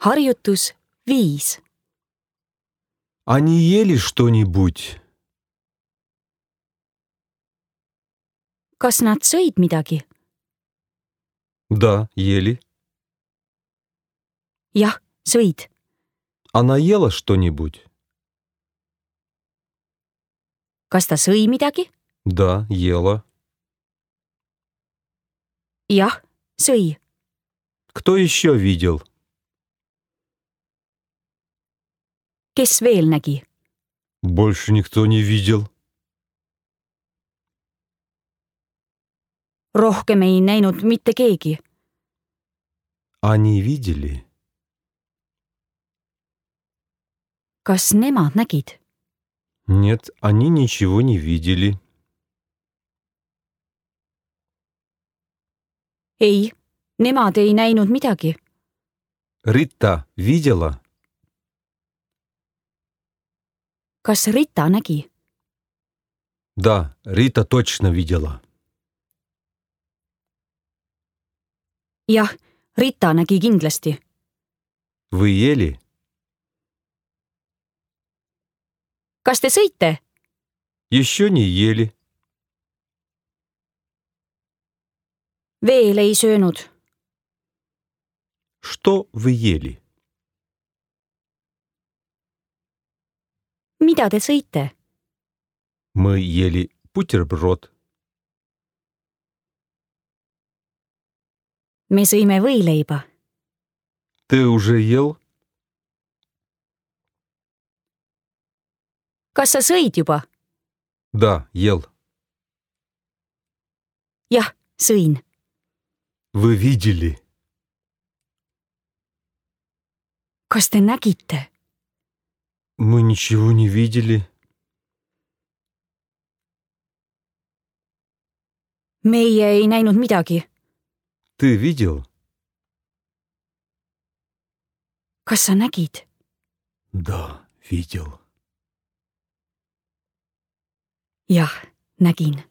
Harjutus 5. Они ели что-нибудь? Kas nad sõid midagi? Да, ели. Jah, sõid. Она ела что-нибудь? Kas ta sõi midagi? Да, ела. Jah, sõi. Кто еще видел? Kes veel nägi? Больше никто не видел. Rohkem ei näinud mitte keegi. Они видели? Kas nemad nägid? Нет, они ничего не видели. Ei, nemad ei näinud midagi. Рита видела? Kas Rita nägi? Да, Рита точно видела. Jah, Rita nägi kindlasti. Вы ели? Kas te sõite? Еще не ели. Veel ei söönud. Что вы ели? Mida te sõite? Мы ели бутерброд. Me sõime võileiba. Ты уже ел? Kas sa sõid juba? Да, ел. Jah, sõin. Вы видели? Kas te nägite? Мы ничего не видели. Meie ei näinud midagi. Ты видел? Kas sa nägid? Да, видел. Jah, nägin.